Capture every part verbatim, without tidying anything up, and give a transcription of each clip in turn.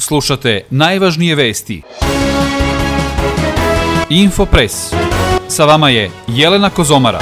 Slušate najvažnije vesti. Infopres. Sa vama je Jelena Kozomara.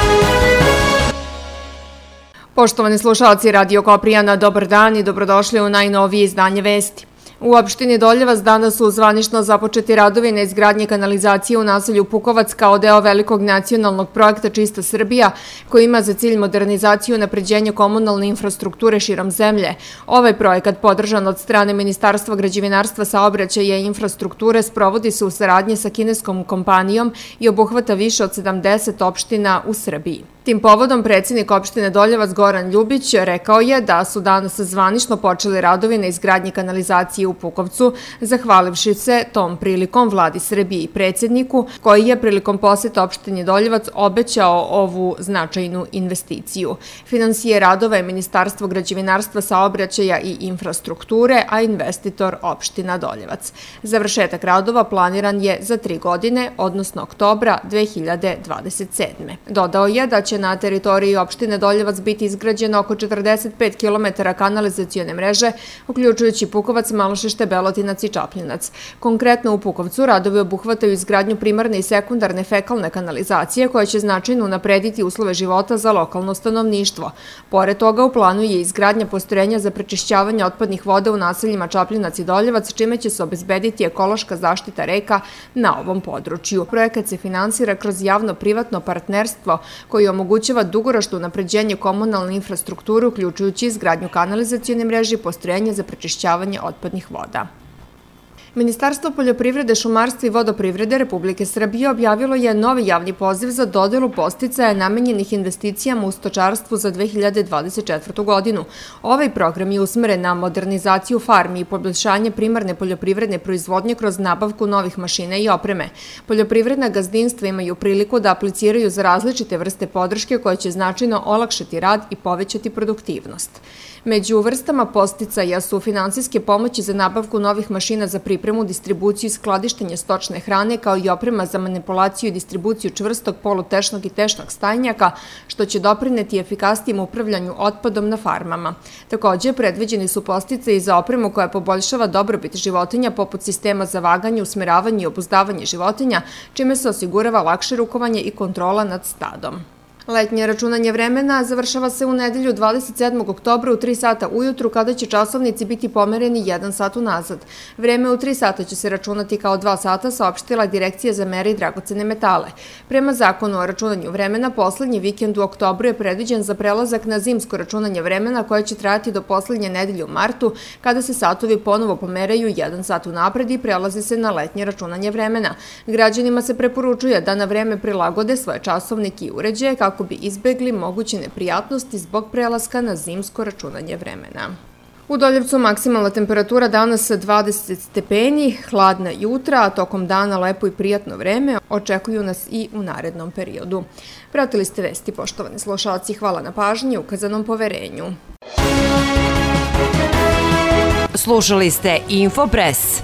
Poštovani slušalci Radio Koprijana, dobar dan i dobrodošli u najnovije izdanje vesti. U opštini Doljevac danas su zvanično započeti radovi na izgradnji kanalizacije u naselju Pukovac kao deo velikog nacionalnog projekta Čista Srbija, koji ima za cilj modernizaciju i unapređenje komunalne infrastrukture širom zemlje. Ovaj projekat, podržan od strane Ministarstva građevinarstva, saobraćaja i infrastrukture, sprovodi se u saradnji sa kineskom kompanijom i obuhvata više od sedamdeset opština u Srbiji. Tim povodom predsjednik opštine Doljevac Goran Ljubić rekao je da su danas zvanično počeli radovi na izgradnji kanalizacije u Pukovcu, zahvalivši se tom prilikom vladi Srbije i predsjedniku, koji je prilikom posjeta opštini Doljevac obećao ovu značajnu investiciju. Finansije radova je Ministarstvo građevinarstva, saobraćaja i infrastrukture, a investitor opština Doljevac. Završetak radova planiran je za tri godine, odnosno oktobra dve hiljade dvadeset sedme. Dodao je da će na teritoriji opštine Doljevac biti izgrađeno oko četrdeset pet kilometara kanalizacione mreže, uključujući Pukovac, Malošešte, Belotinac i Čapljinac. Konkretno u Pukovcu radovi obuhvataju izgradnju primarne i sekundarne fekalne kanalizacije koja će značajno unaprediti uslove života za lokalno stanovništvo. Pored toga, u planu je izgradnja postrojenja za prečišćavanje otpadnih voda u naseljima Čapljinac i Doljevac, čime će se obezbediti ekološka zaštita reka na ovom području. Projekat se finansira kroz javno-privatno partnerstvo koji omogućava dugoročno unapređenje komunalne infrastrukture, uključujući izgradnju kanalizacione mreže i postrojenja za prečišćavanje otpadnih voda. Ministarstvo poljoprivrede, šumarstva i vodoprivrede Republike Srbije objavilo je novi javni poziv za dodelu podsticaja namenjenih investicijama u stočarstvu za dve hiljade dvadeset četvrtu. godinu. Ovaj program je usmeren na modernizaciju farmi i poboljšanje primarne poljoprivredne proizvodnje kroz nabavku novih mašina i opreme. Poljoprivredna gazdinstva imaju priliku da apliciraju za različite vrste podrške koje će značajno olakšati rad i povećati produktivnost. Među vrstama podsticaja su finansijske pomoći za nabavku novih mašina za pripremu, distribuciju i skladištenje stočne hrane, kao i oprema za manipulaciju i distribuciju čvrstog, polutešnog i tešnog stajnjaka, što će doprineti efikasnijem upravljanju otpadom na farmama. Također, predviđeni su podsticaji za opremu koja poboljšava dobrobit životinja, poput sistema za vaganje, usmeravanje i obuzdavanje životinja, čime se osigurava lakše rukovanje i kontrola nad stadom. Letnje računanje vremena završava se u nedelju dvadeset sedmog oktobra u tri sata ujutru, kada će časovnici biti pomereni jedan sat unazad. Vreme u tri sata će se računati kao dva sata, saopštila Direkcija za mere i dragocene metale. Prema zakonu o računanju vremena, poslednji vikend u oktobru je predviđen za prelazak na zimsko računanje vremena, koje će trajati do poslednje nedelje u martu, kada se satovi ponovo pomeraju jedan sat unapred i prelazi se na letnje računanje vremena. Građanima se preporučuje da na vreme prilagode svoje časovnike i uređaje kako bi izbegli moguće neprijatnosti zbog prelaska na zimsko računanje vremena. U Doljevcu maksimalna temperatura danas dvadeset stepeni, hladna jutra, a tokom dana lepo i prijatno vreme očekuju nas i u narednom periodu. Pratili ste vesti, poštovani slušalci, hvala na pažnji i ukazanom poverenju. Slušali ste Infopres.